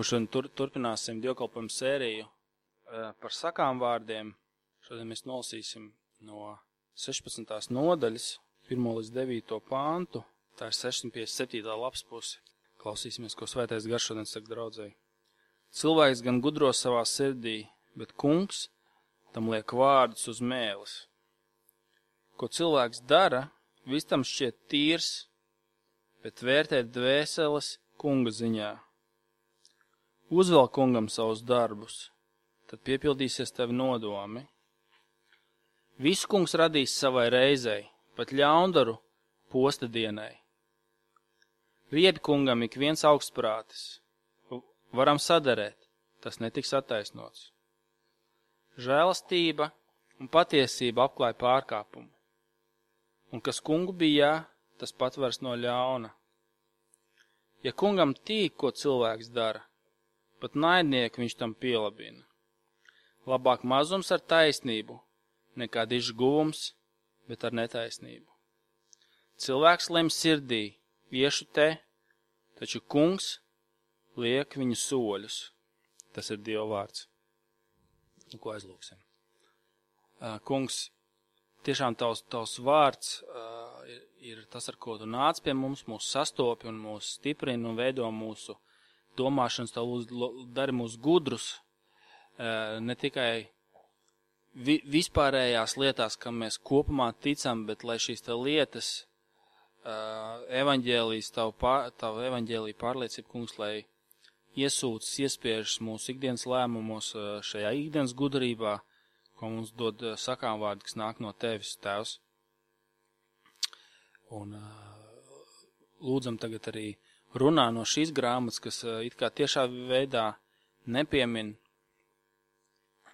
Šodien turpināsim dievkalpojumu sēriju par sakām vārdiem. Šodien mēs nolasīsim no 16. nodaļas, 1. līdz 9. pāntu. Tā ir 657. lapas puse. Klausīsimies, ko Svētais Gars šodien saka draudzēji. Cilvēks gan gudro savā sirdī, bet kungs tam liek vārdus uz mēles. Ko cilvēks dara, viss tam šķiet tīrs, bet vērtēt dvēseles kunga ziņā. Uzvēl kungam savus darbus, tad piepildīsies tevi nodomi. Visu kungs radīs savai reizei, pat ļaundaru posta dienai. Ried kungam ik viens augstprātis. Varam sadarēt, tas netiks attaisnots. Žēlastība un patiesība apklāj pārkāpumu. Un kas kungu bijā, tas patvers no ļauna. Ja kungam tīk, ko cilvēks dara, pat naidnieku viņš tam pielabina. Labāk mazums ar taisnību, nekā dižs guvums, bet ar netaisnību. Cilvēks lem sirdī, iešu te, taču kungs liek viņu soļus. Tas ir Dieva vārds. Ko aizlūksim? Kungs, tiešām tavs vārds ir tas, ar ko tu nāc pie mums, mūs sastopi un mūs stiprina un veido mūsu domāšanas, tā dari mūs gudrus, ne tikai vispārējās lietās, kam mēs kopumā ticam, bet lai šīs te lietas, evaņģēlijas, tavu evaņģēliju pārliecību, kungs, lai iesūtas, iespiežas mūsu ikdienas lēmumos, šajā ikdienas gudrībā, ko mums dod sakām vārdi, kas nāk no tevis, Tēvs. Un lūdzam tagad arī runā no šīs grāmatas, kas it kā tiešā veidā nepiemin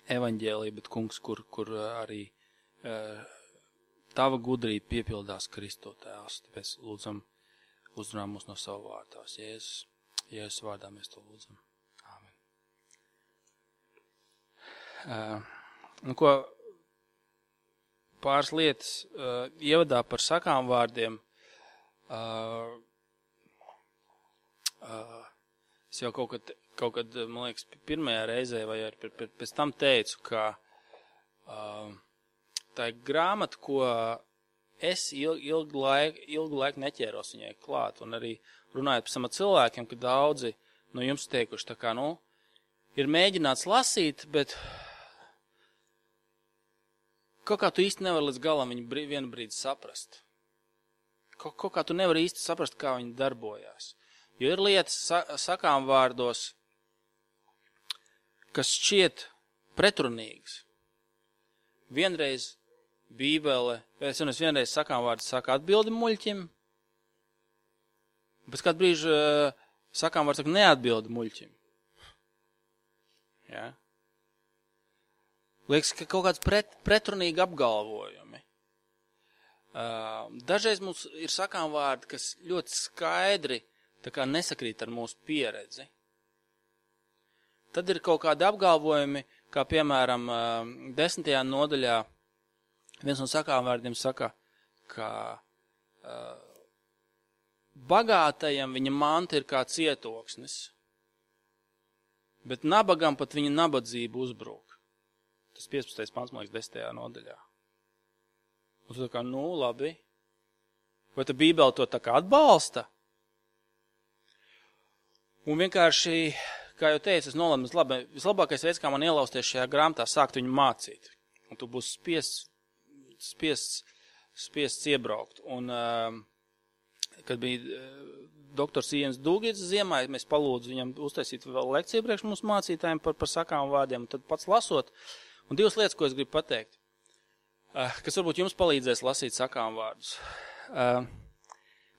evaņģēliju, bet kungs, kur arī tava gudrība piepildās Kristo, Tēvs. Tāpēc lūdzam, uzrunā mūs no savu vārtās. Jēzus vārdā mēs to lūdzam. Āmen. Pāris lietas ievadā par sakām vārdiem. Es jau kaut kad, man liekas, pirmajā reizē vai arī pēc tam teicu, ka tā ir grāmata, ko es ilgu laiku neķēros viņai klāt. Un arī runājot par sama cilvēkiem, ka daudzi no jums teikuši, tā kā, ir mēģināts lasīt, bet kaut kā tu īsti nevari līdz galam viņu vienu brīdi saprast. Kaut kā tu nevari īsti saprast, kā viņi darbojās. Jo ir lietas sakām vārdos, kas šķiet pretrunīgas. Vienreiz Bībele, vienreiz sakām vārdi saka atbildi muļķim, pēc kādu brīžu sakām vārdi saka neatbildi muļķim. Ja? Liekas, ka kaut kāds pretrunīgi apgalvojumi. Dažreiz mums ir sakām vārdi, kas ļoti skaidri tā kā nesakrīt ar mūsu pieredzi. Tad ir kaut kādi apgalvojumi, kā piemēram 10. nodaļā viens no sakām vārdiem saka, ka bagātajam viņa manta ir kā cietoksnis, bet nabagam pat viņa nabadzība uzbrūk. Tas 15. pants, man liekas, 10. nodaļā. Un tu tā kā, labi. Vai ta Bībele to tā kā atbalsta? Un vienkārši, kā jau teicu, es nolēmu, vislabākais veids, kā man ielausties šajā grāmatā, sākt viņu mācīt. Un tu būsi spiests iebraukt. Un, kad bija doktors Iens Dūgits ziemā, mēs palūdzu viņam uztaisīt vēl lekciju priekš mums mācītājiem par sakām vārdiem. Un tad pats lasot, un divas lietas, ko es gribu pateikt, kas varbūt jums palīdzēs lasīt sakām vārdus.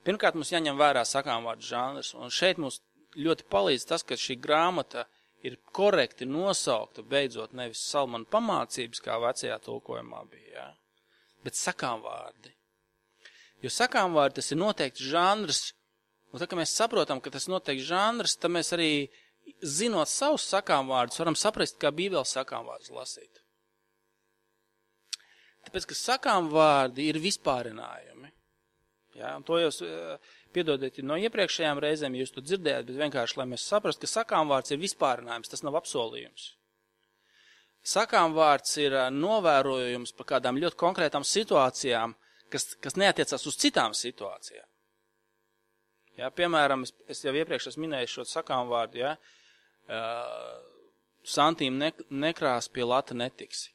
Pirmkārt, mums jāņem vērā sakām vārdu žanrs, un šeit mums ļoti palīdz tas, ka šī grāmata ir korekti nosaukta, beidzot nevis Salmana pamācības, kā vecajā tulkojumā bija, ja? Bet sakām vārdi. Jo sakām vārdi tas ir noteikti žanrs, un tā, ka mēs saprotam, ka tas ir noteikti žanrs, tad mēs arī, zinot savus sakām vārdus, varam saprast, kā Bībeles sakām vārdus lasīt. Tāpēc, ka sakām vārdi ir vispārinājumi. Ja? Un to jūs piedodiet no iepriekšējām reizēm, ja jūs to dzirdējāt, bet vienkārši, lai mēs saprastu, ka sakām vārds ir vispārinājums, tas nav apsolījums. Sakām vārds ir novērojums par kādām ļoti konkrētām situācijām, kas neatiecās uz citām situācijām. Ja, piemēram, es jau iepriekš esmu minējis šo sakām vārdu, ja, santīm nekrās pie lata netiksi.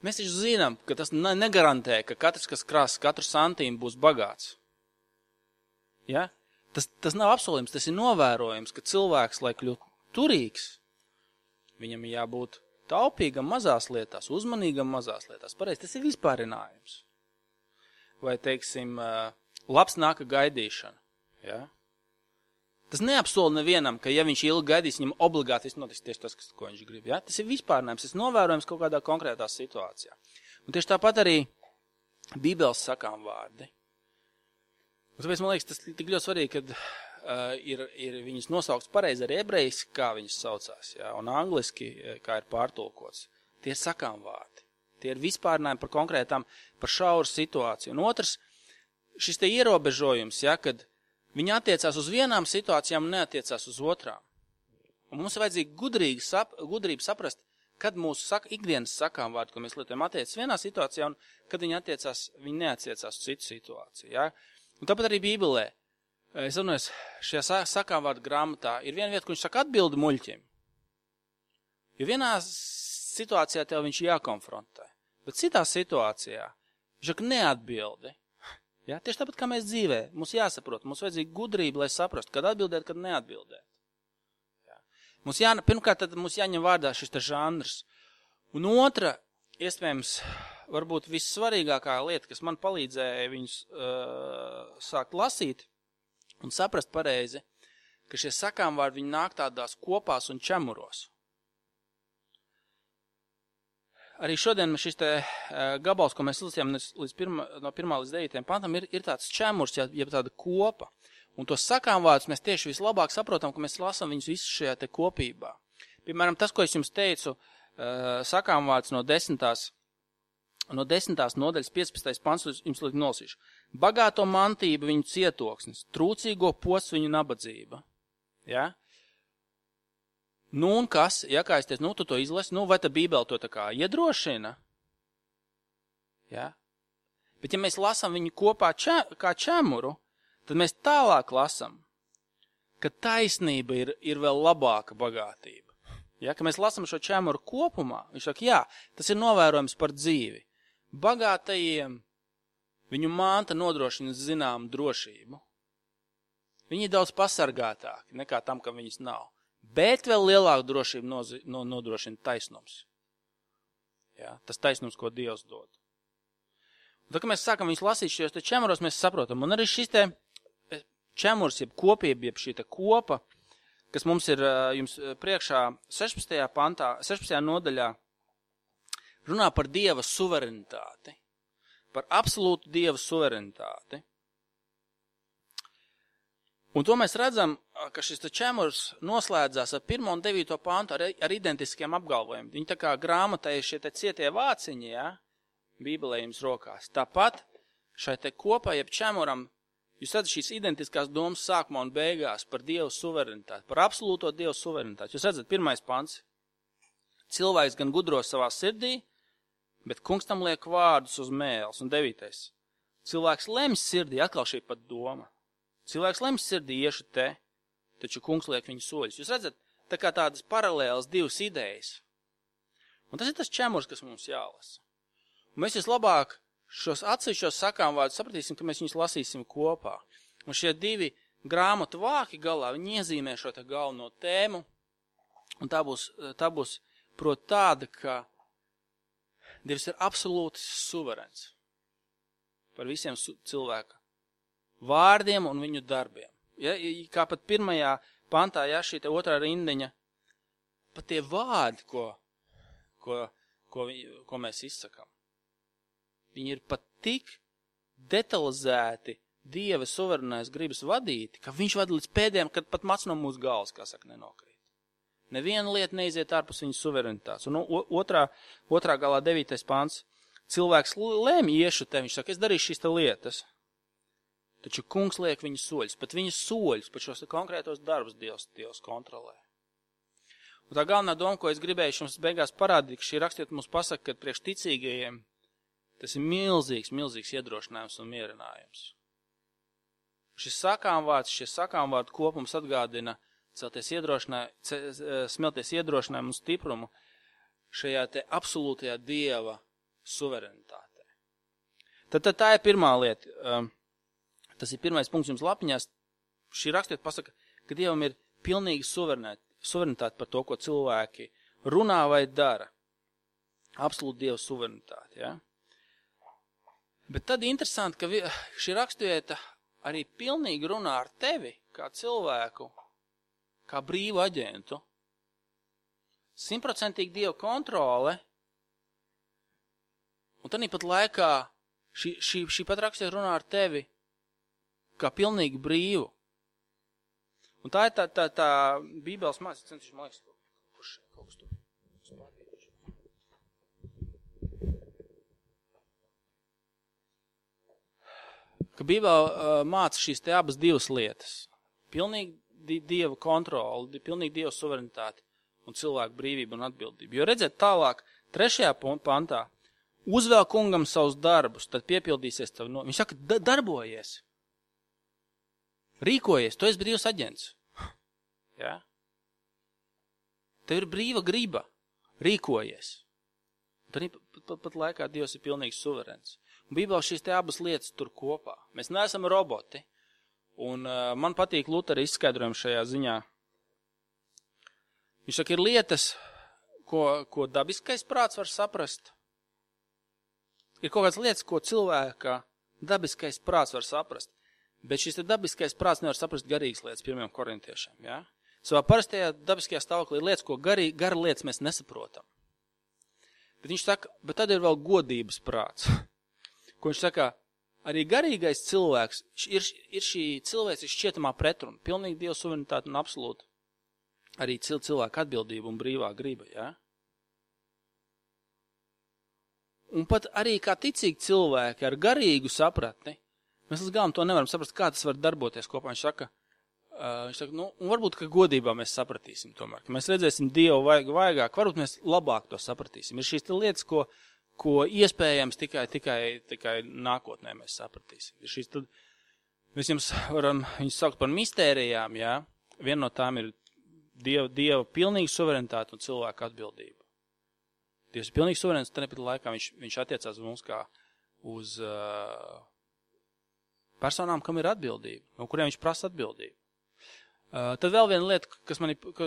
Mēs taču zinām, ka tas negarantē, ka katrs, kas krās katru santīmu, būs bagāts. Ja? Tas nav apsolījums, tas ir novērojums, ka cilvēks, lai kļūtu turīgs, viņam jābūt taupīgam mazās lietās, uzmanīgam mazās lietās. Pareizi, tas ir vispārinājums. Vai, teiksim, labs nāka gaidīšana. Ja? Tas neapsola nevienam, ka ja viņš ilgi gaidīs, viņam obligāti viss notiks tieši tas, ko viņš grib. Ja? Tas ir vispārinājums, tas ir novērojums kaut kādā konkrētā situācijā. Un tieši tāpat arī Bībeles sakām vārdi. Un tāpēc, man liekas, tas tik ļoti svarīgi, kad ir viņas nosaukts pareizi arī ebrejiski, kā viņas saucās, ja? Un angliski, kā ir pārtulkots. Tie ir sakām vārdi. Tie ir vispārinājumi par konkrētām, par šauru situāciju. Un otrs, šis te ierobežojums, ja, kad viņi attiecās uz vienām situācijām un neatiecās uz otrām. Un mums ir vajadzīgi gudrība saprast, kad mūsu ikdienas sakām vārdi, ko mēs lietojam, attiecas vienā situācijā un kad viņi neatiecās uz citu situāciju. Ja? Un tāpat arī Bībelē, es runāju, šajā sakām vārdu grāmatā ir viena vieta, kur viņš saka atbildi muļķim. Jo vienā situācijā tev viņš jākonfrontē, bet citā situācijā viņš saka neatbildi. Ja? Tieši tāpat kā mēs dzīvē, mums jāsaprot, mums vajadzīga gudrība, lai saprastu, kad atbildēt, kad neatbildēt. Ja? Pirmkārt, tad mums jāņem vārdā šis te žanrs. Un otra, iespējams, varbūt vissvarīgākā lieta, kas man palīdzēja viņus sākt lasīt un saprast pareizi, ka šie sakām vārdi viņi nāk tādās kopās un čemuros. Arī šodien šis te gabals, ko mēs lasījām no 1. līdz 9. pantam, ir tāds čemurs, ja tāda kopa. Un tos sakām vārdus mēs tieši vislabāk saprotam, ka mēs lasām viņus visu šajā te kopībā. Piemēram, tas, ko es jums teicu, sakām vārds no 10. nodaļas 15. pants, jums liek nolasīšu. Bagāto mantība viņu cietoksnis, trūcīgo posts viņu nabadzība. Ja? Nu un kas, ja kā es teicu, tu to izlasi, vai ta Bībele to tā kā iedrošina? Ja? Bet ja mēs lasām viņu kopā kā čemuru, tad mēs tālāk lasām, ka taisnība ir vēl labāka bagātība. Ja? Ka mēs lasām šo čemuru kopumā, viņš saka, jā, tas ir novērojums par dzīvi. Bagātajiem viņu manta nodrošina zinām drošību. Viņi ir daudz pasargātāki nekā tam, ka viņas nav. Bet vēl lielāku drošību nodrošina taisnums. Ja, tas taisnums, ko Dievs dod. Un tad, kad mēs sākam viņus lasīt šajos te čemuros, mēs saprotam. Un arī šis te čemurs, jeb kopība, jeb šī te kopa, kas mums ir jums priekšā 16. pantā, 16. nodaļā, runā par Dieva suverenitāti. Par absolūtu Dieva suverenitāti. Un to mēs redzam, ka šis čemurs noslēdzās ar 1. un 9. pantu ar identiskiem apgalvojumiem. Viņi tā kā grāmatā ir šie te cietie vāciņi, ja, Bībelē jums rokās. Tāpat šai te kopā, jeb čemuram, jūs redzat šīs identiskās domas sākumā un beigās par Dievu suverenitāti, par absolūto Dievu suverenitāti. Jūs redzat, 1. pants. Cilvēks gan gudro savā sirdī, bet kungs tam liek vārdus uz mēles. Un 9. Cilvēks lemj sirdī, atkal šī pat doma. Cilvēks lemj sirdī iešu te, taču kungs liek viņu soļus. Jūs redzat, tā kā tādas paralēlas divas idejas. Un tas ir tas čemurs, kas mums jālasa. Un mēs vislabāk šos atsevišķos sakām vārdus sapratīsim, ka mēs viņus lasīsim kopā. Un šie divi grāmatu vāki galā, viņi iezīmē šo te galveno tēmu. Un tā būs prot tāda, ka Dievs ir absolūti suverens par visiem cilvēka vārdiem un viņu darbiem. Ja, kā pat 1. pantā, ja, šī te 2. rindiņa, pat tie vārdi, ko mēs izsakām, viņi ir pat tik detalizēti Dieva suverenais gribas vadīti, ka viņš vada līdz pēdējiem, kad pat mats no mūsu galvas, kā saka, nenokrīt. Neviena lieta neiziet ārpus viņa suverenitātes. Un otrā galā 9. pants. Cilvēks lēma iešu te, viņš saka, es darīšu šīs te lietas. taču kungs liek viņu soļus, pat viņu soļus, pat šos konkrētos darbus Dievs kontrolē. Un tā galvenā doma, ko es gribēju jums beigās parādīt, ka šī rakstiet mums pasaka, ka priekš ticīgajiem tas ir milzīgs iedrošinājums un mierinājums. Šie sakāmvārdu kopums atgādina smelties iedrošinājumu un stiprumu šajā te absolūtajā Dieva suverenitātē. Tad tā ir pirmā lieta. Tas ir pirmais punkts jums lapiņās. Šī rakstiet pasaka, ka Dievam ir pilnīgi suverenitāte par to, ko cilvēki runā vai dara. Absolūti Dieva suverenitāte, ja? Bet tad interesanti, ka šī rakstieta arī pilnīgi runā ar tevi, kā cilvēku, kā brīvu aģentu. 100% Dieva kontrole, un tad pat laikā šī pat rakstieta runā ar tevi, kā pilnīgi brīvu. Un tā ir tā Bībeles mācība, centīšu, man liekas, kurš kaut kas tur spārvījuši. Ka Bībele māca šīs te abas divas lietas. Pilnīgi Dieva kontroli, pilnīgi Dieva suverenitāti un cilvēku brīvību un atbildību. Jo redzēt tālāk, 3. pantā, uzvēl kungam savus darbus, tad piepildīsies tavu no. Viņš saka, darbojies. Rīkojies, tu esi brīvs aģents. Ja? Tev ir brīva griba. Rīkojies. Pat laikā Dievs ir pilnīgi suverens. Un Bībelē šīs te abas lietas tur kopā. Mēs neesam roboti. Un man patīk Lutera izskaidrojumi šajā ziņā. Viņš saka, ir lietas, ko dabiskais prāts var saprast. Ir kaut kādas lietas, ko cilvēka dabiskais prāts var saprast. Bet šis te dabiskais prāts nevar saprast garīgas lietas 1. korintiešiem. Ja? Savā parastajā dabiskajā stāvoklī ir lietas, ko gara lietas mēs nesaprotam. Bet viņš saka, bet tad ir vēl godības prāts. Ko viņš saka, arī garīgais cilvēks ir šī cilvēks šķietamā pretruna. Pilnīgi Dieva suverenitāte un absolūti arī cilvēka atbildība un brīvā griba. Ja? Un pat arī kā ticīgi cilvēki ar garīgu sapratni, mēs līdz galam to nevaram saprast, kā tas var darboties kopā. Viņš saka, un varbūt, ka godībā mēs sapratīsim tomēr, ka mēs redzēsim Dievu vaigāk, varbūt mēs labāk to sapratīsim. Ir šīs lietas, ko iespējams tikai nākotnē mēs sapratīsim. Ir šīs tad, mēs jums varam viņus saukt par mistērijām, jā. Viena no tām ir Dieva pilnīga suverenitāte un cilvēka atbildība. Dievs ir pilnīgi suverens, tad nepēc laikā viņš attiecās uz mums kā uz personām, kam ir atbildība, no kuriem viņš prasa atbildību. Tad vēl viena lieta, kas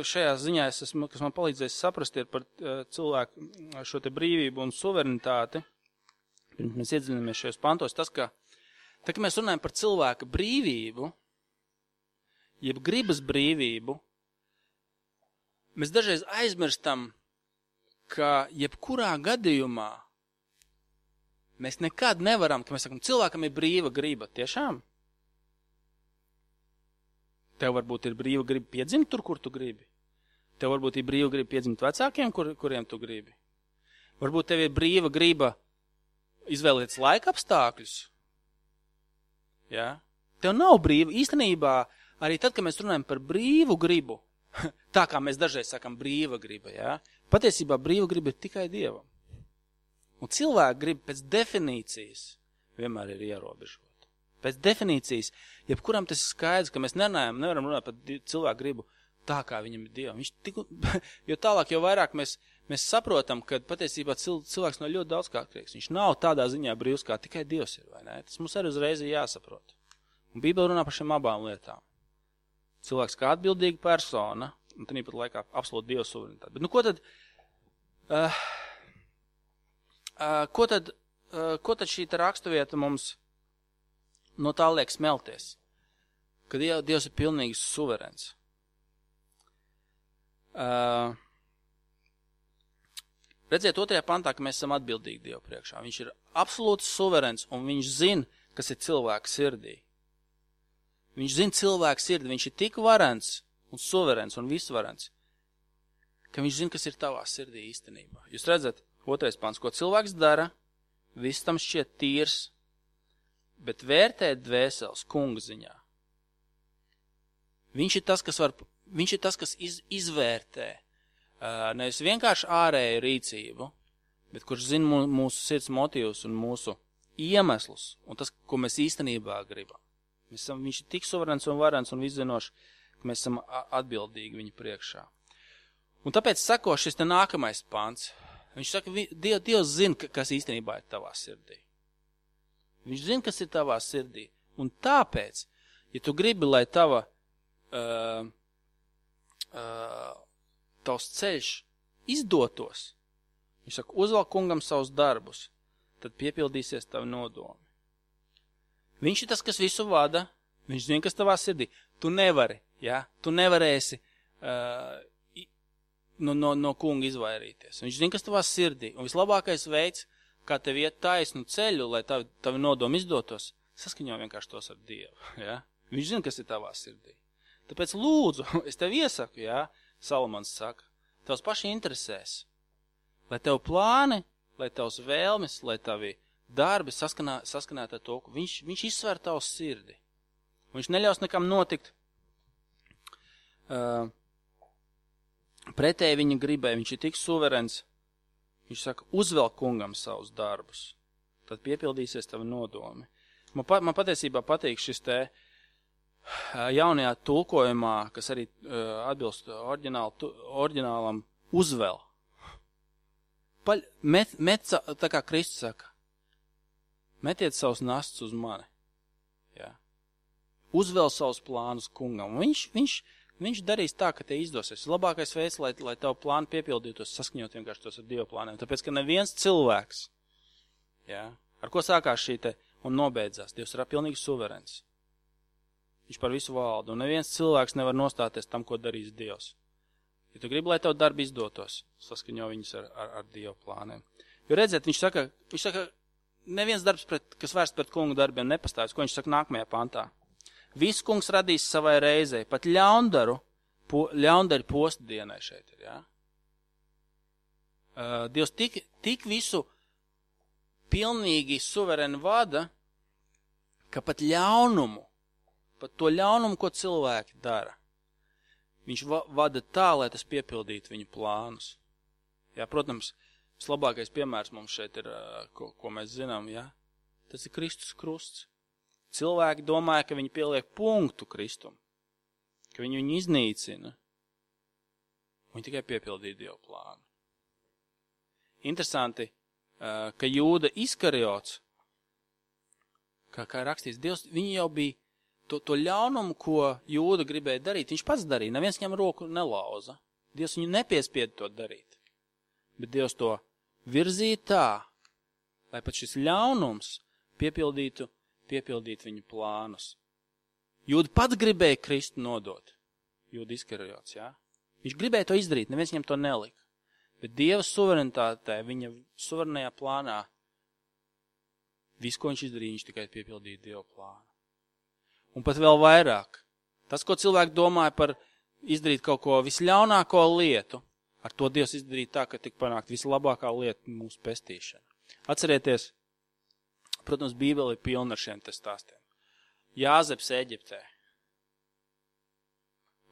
šajā ziņā kas man palīdzēs saprast, ir par cilvēku šo te brīvību un suverenitāti. Pirms mēs iedziļinamies šajos pantos, tas, ka kad mēs runājam par cilvēka brīvību, jeb gribas brīvību, mēs dažreiz aizmirstam, ka jebkurā gadījumā mēs nekad nevaram, ka mēs sakam, cilvēkam ir brīva griba. Tiešām? Tev varbūt ir brīva griba piedzimt tur, kur tu gribi. Tev varbūt ir brīva griba piedzimt vecākiem, kuriem tu gribi. Varbūt tev ir brīva griba izvēlēties laika apstākļus. Ja? Tev nav brīva. Īstenībā, arī tad, kad mēs runājam par brīvu gribu, tā kā mēs dažreiz sakam brīva griba, ja? Patiesībā brīva griba ir tikai Dievam. Un cilvēka griba pēc definīcijas vienmēr ir ierobežota. Pēc definīcijas, jebkuram tas ir skaidrs, ka mēs nevaram runāt par cilvēku gribu tā, kā viņam ir Dievam. Jo tālāk, jo vairāk mēs saprotam, ka patiesībā cilvēks no ļoti daudz kā atkarīgs. Viņš nav tādā ziņā brīvs, kā tikai Dievs ir, vai ne? Tas mums arī uzreiz ir jāsaprot. Un Bībele runā par šiem abām lietām. Cilvēks kā atbildīga persona, un tad pat laikā absolūti Dieva suverenitāte. Bet ko tad šī raksturvieta mums no tā liek smelties? Ka Dievs ir pilnīgi suverens. Redziet 2. pantā, ka mēs esam atbildīgi Dievu priekšā. Viņš ir absolūti suverens, un viņš zina, kas ir cilvēka sirdī. Viņš zina cilvēka sirdi, viņš ir tik varens un suverens un visvarens, ka viņš zina, kas ir tavā sirdī īstenībā. Jūs redzat, 2. pants, ko cilvēks dara, viss tam šķiet tīrs, bet vērtēt dvēseles kunga ziņā. Viņš ir tas, kas izvērtē, nevis vienkārši ārēju rīcību, bet kurš zina mūsu sirds motīvus un mūsu iemeslus, un tas, ko mēs īstenībā gribam. Viņš ir tik suverens un varens un viszinošs, ka mēs esam atbildīgi viņa priekšā. Un tāpēc sako šis te nākamais pants. Viņš saka, Dievs zina, kas īstenībā ir tavā sirdī. Viņš zina, kas ir tavā sirdī. Un tāpēc, ja tu gribi, lai tavs ceļš izdotos, viņš saka, uzvelk kungam savus darbus, tad piepildīsies tavi nodomi. Viņš ir tas, kas visu vada, viņš zina, kas tavā sirdī. Tu nevari, tu nevarēsi no kunga izvairīties. Viņš zina, kas tavā sirdī. Un vislabākais veids, kā tev iet taisnu ceļu, lai tavi nodomi izdotos, saskaņo vienkārši tos ar Dievu. Ja? Viņš zina, kas ir tavā sirdī. Tāpēc lūdzu, es tev iesaku, Salamans saka, tavs paši interesēs, lai tev plāni, lai tavs vēlmes, lai tavi darbi saskanētu ar to, ka viņš izsver tavu sirdi. Viņš neļaus nekam notikt pretēji viņa gribai, viņš ir tik suverens. Viņš saka, uzvelk kungam savus darbus, tad piepildīsies tavi nodomi. Man patiesībā patīk šis te jaunajā tulkojumā, kas arī atbilst oriģinālam, uzvel. Tā kā Kristus saka, metiet savus nastus uz mani. Ja? Uzvel savus plānus kungam. Viņš darīs tā, ka te izdosies. Labākais veids, lai tavu plānu piepildītos, saskaņot vienkārši tos ar Dieva plāniem. Tāpēc, ka neviens cilvēks, ar ko sākās šī te un nobeidzās, Dievs ir pilnīgi suverens. Viņš par visu valdu. Un neviens cilvēks nevar nostāties tam, ko darīs Dievs. Ja tu gribi, lai tavu darbu izdotos, saskaņo viņus ar Dieva plāniem. Jo redziet, viņš saka, neviens darbs, kas vērsts pret kungu darbiem, nepastāvis. Ko viņš saka nākamajā pantā? Visu kungs radīs savai reizei, pat ļaundari postdienai šeit ir, Dievs tik visu pilnīgi suvereni vada, ka pat to ļaunumu, ko cilvēki dara, viņš vada tā, lai tas piepildītu viņu plānus. Protams, vislabākais piemērs mums šeit ir, ko mēs zinām, tas ir Kristus krusts. Cilvēki domāja, ka viņi pieliek punktu Kristum, ka viņi viņu iznīcina. Viņi tikai piepildīja Dievu plānu. Interesanti, ka Jūda Iskariots, kā rakstīts, Dievs, viņi jau bija to ļaunumu, ko Jūda gribēja darīt, viņš pats darīja, neviens viņam roku nelauza. Dievs viņu nepiespieda to darīt. Bet Dievs to virzīja tā, lai pat šis ļaunums piepildītu viņu plānus. Jūda pats gribēja Kristu nodot. Jūda Iskariots, Viņš gribēja to izdarīt, neviens viņam to nelika. Bet Dieva suverenitātē, viņa suverenajā plānā, visu, ko viņš izdarīja, viņš tikai piepildīja Dieva plānu. Un pat vēl vairāk. Tas, ko cilvēki domāja par izdarīt kaut ko visļaunāko lietu, ar to Dievs izdarīja tā, ka tik panākt vislabākā lieta mūsu pestīšana. Atcerieties, protams, Bībele ir pilna ar šiem te stāstiem. Jāzeps Eģiptē.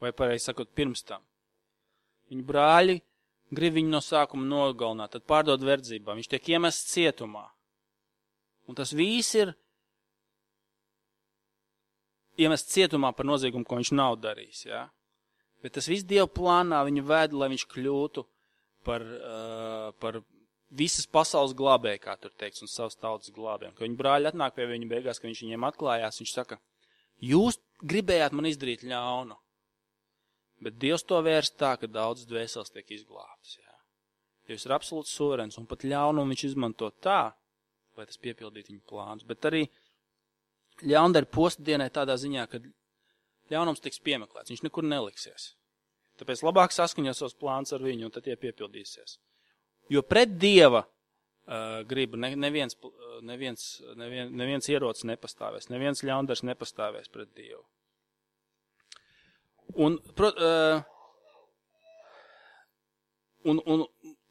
Vai pareizi sakot, pirms tam. Viņu brāļi grib viņu no sākuma nogalināt, tad pārdod verdzībā. Viņš tiek iemests cietumā. Un tas viss ir iemests cietumā par noziegumu, ko viņš nav darījis. Bet tas viss Dieva plānā viņu vēd, lai viņš kļūtu par visas pasaules glābēji, kā tur teiks, un savas tautas glābēm. Kad viņa brāļi atnāk pie viņa beigās, kad viņš viņiem atklājās, viņš saka, jūs gribējāt man izdarīt ļaunu, bet Dievs to vērst tā, ka daudz dvēseles tiek izglābtas. Dievs ir absolūts suverens, un pat ļaunumu viņš izmanto tā, lai tas piepildītu viņa plānus. Bet arī ļaundari postdienai tādā ziņā, ka ļaunums tiks piemeklēts, viņš nekur neliksies. Tāpēc labāk saskaņot savus plānus ar viņu, un tad tie piepildīsies. Jo pret Dieva gribu neviens ierocis nepastāvēs, neviens ļaundars nepastāvēs pret Dievu. Un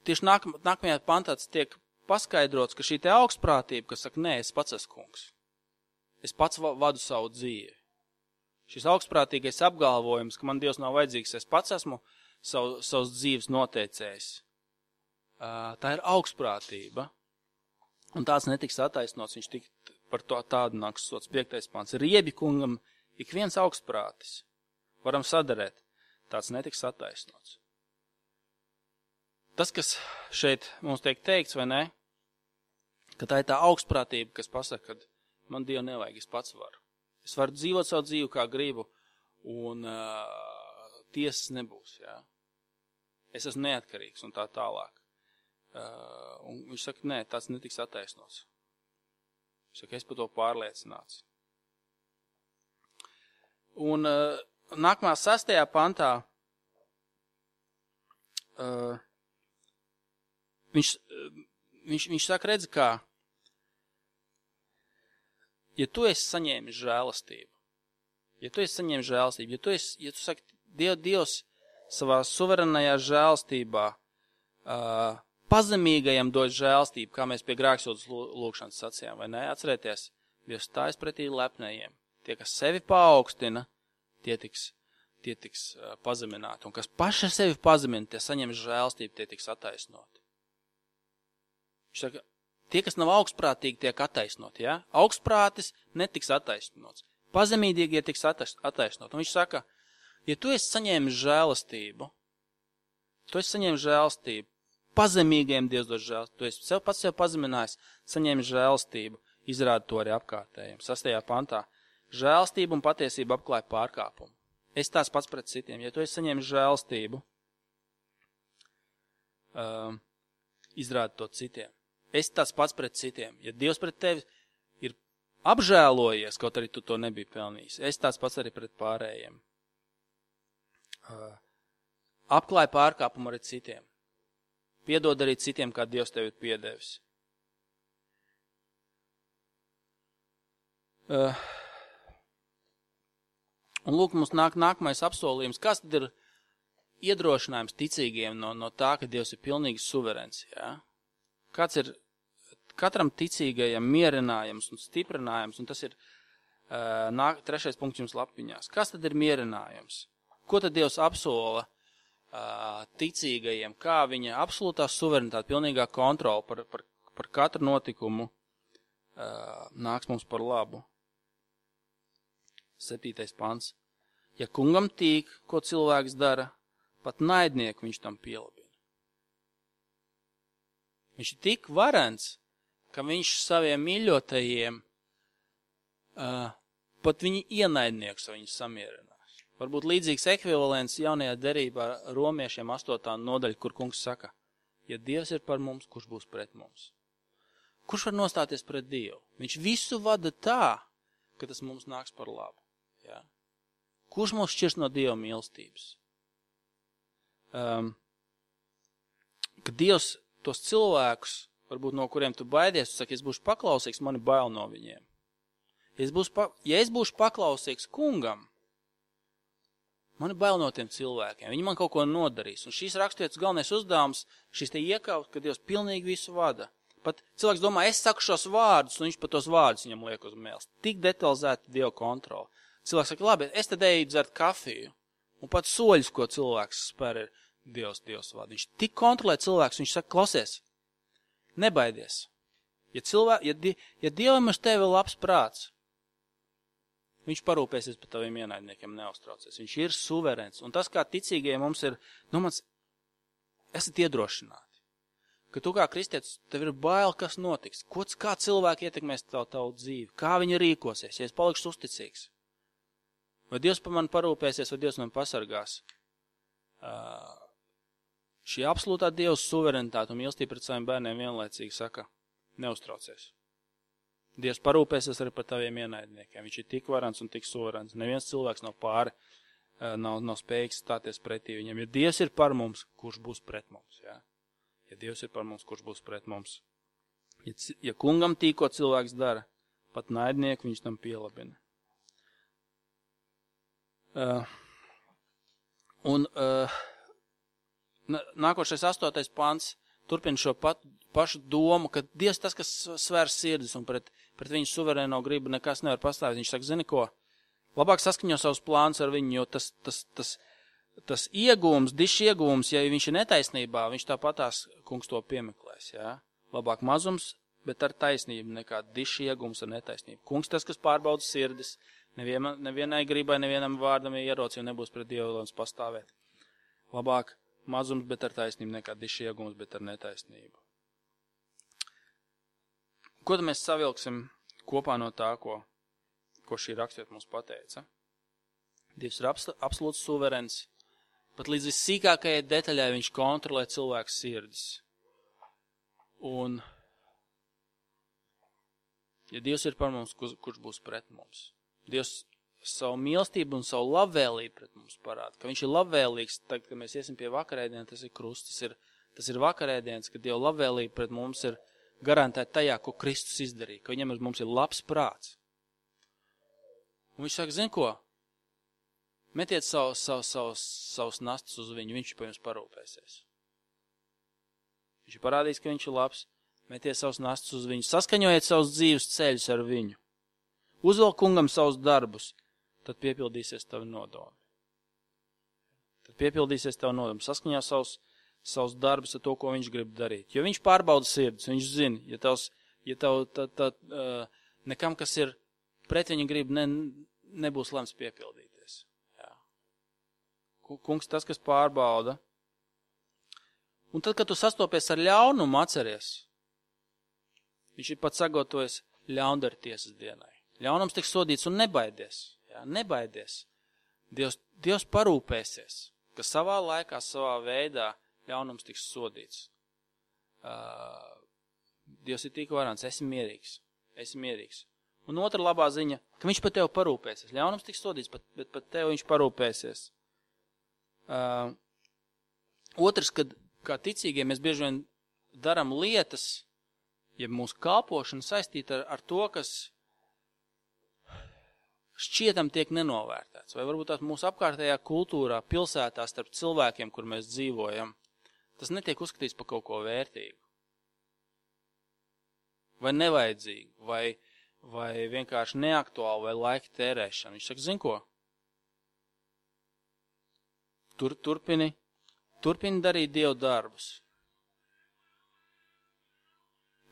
tieši nākamajā pantā tiek paskaidrots, ka šī te augstprātība, kas saka, nē, es pats esmu kungs. es pats vadu savu dzīvi. Šis augstprātīgais apgalvojums, ka man Dievs nav vajadzīgs, es pats esmu savas dzīves noteicējis. Tā ir augstprātība, un tāds netiks attaisnots, viņš tik par to tādu nāks sots 5. pants. Riebi kungam ik viens augstprātis, varam sadarēt, tāds netiks attaisnots. Tas, kas šeit mums tiek teikts, vai ne, ka tā ir tā augstprātība, kas pasaka, ka man Dievu nevajag, es pats varu. Es varu dzīvot savu dzīvi, kā gribu, un tiesas nebūs, jā. Es esmu neatkarīgs un tā tālāk. Un viņš saka, nē, tāds netiks attaisnots. Viņš saka, es par to pārliecināts. Un nākamā 6. pantā viņš saka, redzi, kā, ja tu esi saņēmis žēlastību, ja tu saki, Dievs savā suverenajā žēlastībā pazemīgajam dod žēlastību, kā mēs pie grēksūdzes lūgšanas sacījām, vai ne? Atcerieties, Dievs stājas pretī lepnējiem. Tie, kas sevi paaugstina, tie tiks pazemināti. Un kas paši sevi pazemina, tie saņem žēlastību, tie tiks attaisnoti. Viņš saka, tie, kas nav augstprātīgi, tiek attaisnoti, ja? Augstprātis netiks attaisnots. Pazemīgie tiks attaisnot. Un viņš saka, ja tu esi saņēmis žēlastību, pazemīgiem Dievs dod žēlastību, tu esi pats sev pazeminājis, saņēmis žēlastību, izrāda to arī apkārtējiem. 6. pantā. Žēlastība un patiesība apklāja pārkāpumu. Es tās pats pret citiem. Ja tu esi saņēmis žēlastību, izrāda to citiem. Es tās pats pret citiem. Ja Dievs pret tevi ir apžēlojies, kaut arī tu to nebija pelnījis, es tās pats arī pret pārējiem. Apklāja pārkāpumu arī citiem. Piedod arī citiem, kā Dievs tevi ir piedevis. Un lūk, mums nāk nākamais apsolījums. Kas tad ir iedrošinājums ticīgiem no tā, ka Dievs ir pilnīgi suverens? Ja? Kāds ir katram ticīgajam mierinājums un stiprinājums, un tas ir 3. punkts jums lapiņās. Kas tad ir mierinājums? Ko tad Dievs apsola ticīgajiem? Kā viņa absolūtā suverenitāte, pilnīgā kontrola par katru notikumu nāks mums par labu? 7. pants. Ja kungam tīk, ko cilvēks dara, pat naidnieku viņš tam pielabina. Viņš ir tik varens, ka viņš saviem mīļotajiem pat viņi ienaidnieks viņus samierinās. Varbūt līdzīgs ekvivalents jaunajā derībā romiešiem 8. nodaļa, kur kungs saka, ja Dievs ir par mums, kurš būs pret mums? Kurš var nostāties pret Dievu? Viņš visu vada tā, ka tas mums nāks par labu. Ja? Kurš mūs šķirs no Dieva mīlestības? Kad Dievs tos cilvēkus, varbūt no kuriem tu baidies, tu saki, es būšu paklausīgs, mani bail no viņiem. Ja es būšu paklausīgs kungam, mani bail no tiem cilvēkiem. Viņi man kaut ko nodarīs. Un šīs raksturietas galvenais uzdevums, šis te iekaut, ka Dievs pilnīgi visu vada. Pat cilvēks domā, es saku šos vārdus, un viņš pat tos vārdus viņam liek uz mēles. Tik detalizēti Dieva kontrola. Cilvēks saka, labi, es tad eju dzert kafiju, un pat soļus, ko cilvēks spēr, ir Dievs vada. Viņš tik kontrolē cilvēks, viņš saka, klausies, nebaidies. Ja Dievam uz tevi labs prāts, viņš parūpēsies par taviem ienaidniekiem, neuztraucies. Viņš ir suverens. Un tas, kā ticīgajiem mums ir, esat iedrošināti. Ka tu kā kristietis, tev ir bail, kas notiks. Kā cilvēki ietekmēs tavu dzīvi? Kā viņi rīkosies, ja es palikšu uzticīgs? Vai Dievs par mani parūpēsies, vai Dievs man pasargās? Šī absolūtā Dieva suverenitāte un mīlestība pret saviem bērniem vienlaicīgi saka, neuztraucies. Dievs parūpēsies arī par taviem ienaidniekiem. Viņš ir tik varants un tik suverens. Neviens cilvēks nav pāri, nav spējīgs stāties pretī viņam. Ja Dievs ir par mums, kurš būs pret mums? Ja? Ja Dievs ir par mums, kurš būs pret mums? Ja kungam tīko cilvēks dara, pat naidnieku viņš tam pielabina. Nākošais 8. pants turpina šo pašu domu, ka Dievs tas, kas svērs sirdis un pret pret viņu suverēno gribu nekas nevar pastāvēt. Viņš saka, zini ko, labāk saskaņo savus plānus ar viņu, jo tas iegūms, dišs iegūms, ja viņš ir netaisnībā, viņš tāpatās, kungs, to piemeklēs, jā. Labāk mazums, bet ar taisnību nekā dišs iegūms ar netaisnību. Kungs tas, kas pārbauda sirdis, nevienai gribai, nevienam vārdam ieroci, un nebūs pret Dievu lēns pastāvēt. Labāk mazums, bet ar taisnību nekā dišs iegūms, bet ar netaisnību. Ko tad mēs savilksim kopā no tā, ko šī rakstiet mums pateica? Dievs ir absolūts suverens, pat līdz vissīkākajai detaļai viņš kontrolē cilvēku sirdis. Un, ja Dievs ir par mums, kurš būs pret mums? Dievs savu mīlestību un savu labvēlību pret mums parāda, ka viņš ir labvēlīgs, tagad, kad mēs iesim pie vakarēdiena, tas ir krusts, tas ir vakarēdienas, kad Dieva labvēlība pret mums ir garantēta tajā, ko Kristus izdarīja, ka viņam mums ir labs prāts. Un viņš saka, zin ko? Metiet savus nastas uz viņu, viņš par jums parūpēsies. Viņš ir parādījis, ka viņš ir labs, metiet savus nastas uz viņu, saskaņojiet savus dzīves ceļus ar viņu. Uzvelk kungam savus darbus, tad piepildīsies tavi nodomi. Saskaņo savus darbus ar to, ko viņš grib darīt. Jo viņš pārbauda sirdis, viņš zina, ja tev nekam, kas ir pret viņa grib, nebūs lemts piepildīties. Jā. Kungs tas, kas pārbauda. Un tad, kad tu sastopies ar ļaunumu, atceries, viņš ir pat sagatavojies ļaundara tiesas dienai. Ļaunums tiks sodīts un nebaidies. Jā, nebaidies. Dievs parūpēsies, ka savā laikā, savā veidā ļaunums tiks sodīts. Dievs ir tik varants, esi mierīgs. Un otra labā ziņa, ka viņš par tevi parūpēsies. Ļaunums tiks sodīts, bet par tevi viņš parūpēsies. Otrs, kad kā ticīgie mēs bieži vien daram lietas, ja mūsu kalpošana saistīta ar to, kas šķietam tiek nenovērtēts. Vai varbūt tās mūsu apkārtējā kultūrā, pilsētā, starp cilvēkiem, kur mēs dzīvojam, tas netiek uzskatīts par kaut ko vērtīgu. Vai nevajadzīgu, vai vienkārši neaktuālu, vai laika tērēšanu. Viņš saka, zin ko? Turpini darīt Dievu darbus.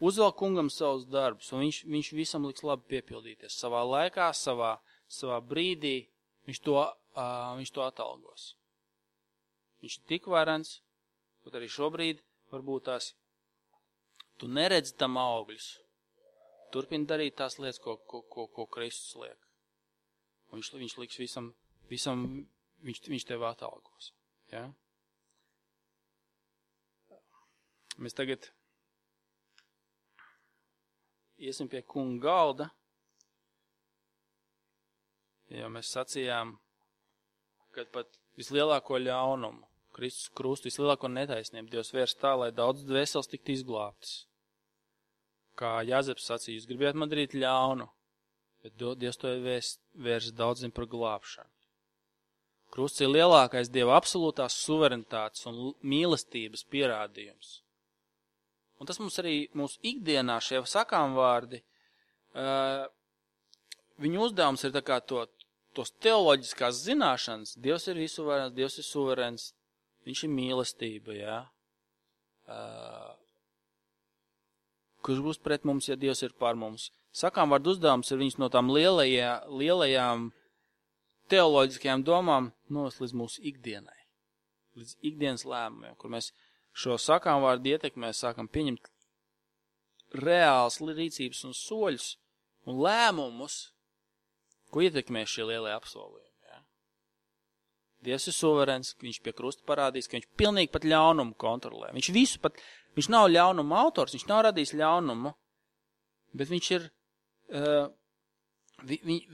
Uzvelk kungam savus darbus, un viņš visam liks labi piepildīties. Savā laikā, savā brīdī viņš to atalgos. Viņš ir tik varens, kaut arī šobrīd varbūt tās tu neredzi tam augļus. Turpini darīt tās lietas, ko Kristus liek. Un viņš liks visam viņš tev atalgos. Ja? Mēs tagad iesim pie kunga galda, jo mēs sacījām, kad pat vislielāko ļaunumu, Kristus krustu, vislielāko netaisnību Dievs vērs tā, lai daudz dvēseles tiktu izglābtas. Kā Jāzeps sacīja, jūs gribētu man darīt ļaunu, bet Dievs to vērs daudziem par glābšanu. Krusts ir lielākais Dieva absolūtās suverenitātes un mīlestības pierādījums. Un tas mums arī mūsu ikdienā šie sakām vārdi, viņu uzdevums ir tā kā tos teoloģiskās zināšanas. Dievs ir visuvarens, Dievs ir suverens, viņš ir mīlestība, jā. Kurš būs pret mums, ja Dievs ir par mums. Sakām vārdu uzdevums ir viņus no tām lielajām teoloģiskajām domām novest līdz mūsu ikdienai, līdz ikdienas lēmumiem, kur mēs šo sakām vārdu ietekmē sākam pieņemt reāls rīcības un soļus un lēmumus, ko ietekmē šie lielie apsolījumi. Ja? Dievs ir suverens, viņš pie krusta parādīs, ka viņš pilnīgi pat ļaunumu kontrolē. Viņš nav ļaunuma autors, viņš nav radījis ļaunumu, bet viņš ir,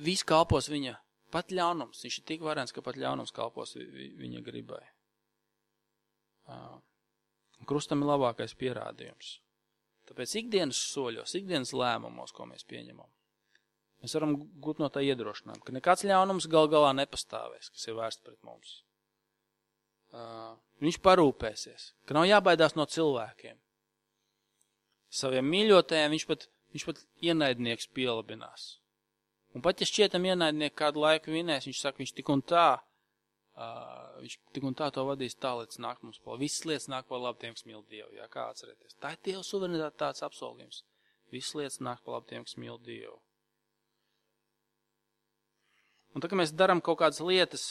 viss kalpos viņa, pat ļaunums. Viņš ir tik varens, ka pat ļaunums kalpos viņa gribai. Krustam ir labākais pierādījums. Tāpēc ikdienas soļos, ikdienas lēmumos, ko mēs pieņemam, mēs varam gūt no tā iedrošinājumu, ka nekāds ļaunums gal galā nepastāvēs, kas ir vērsts pret mums. Viņš parūpēsies, ka nav jābaidās no cilvēkiem. Saviem mīļotajiem viņš viņš pat ienaidnieks pielabinās. Un pat, ja šķietam ienaidnieki kādu laiku vinēs, viņš saka, viņš tik un tā to vadīs tā, līdz nāk mums par. Visas lietas nāk par labu tiem, kas mīl Dievu, jā, kā atcerēties. Tā ir Dieva suverenitāte tāds apsolījums. Visas lietas nāk par labu tiem, kas mīl Dievu. Un tā, ka mēs darām kaut kādas lietas,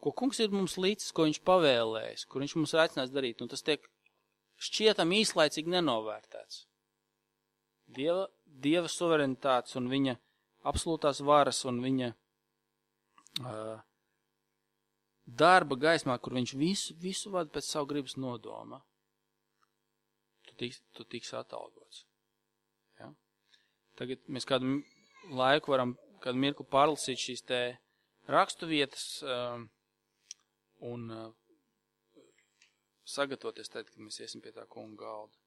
ko kungs ir mums līdzis, ko viņš pavēlējis, kur viņš mums ir aicinājis darīt, un tas tiek šķietam īslaicīgi nenovērtēts. Dieva suverenitātes un viņa absolūtās varas un viņa darba gaismā, kur viņš visu vada pēc savu gribas nodoma, tu tiks atalgots. Ja? Tagad mēs kādu laiku varam, kādu mirkli pārlasīt šīs te rakstu vietas un sagatavoties tad, kad mēs iesim pie tā kunga galda.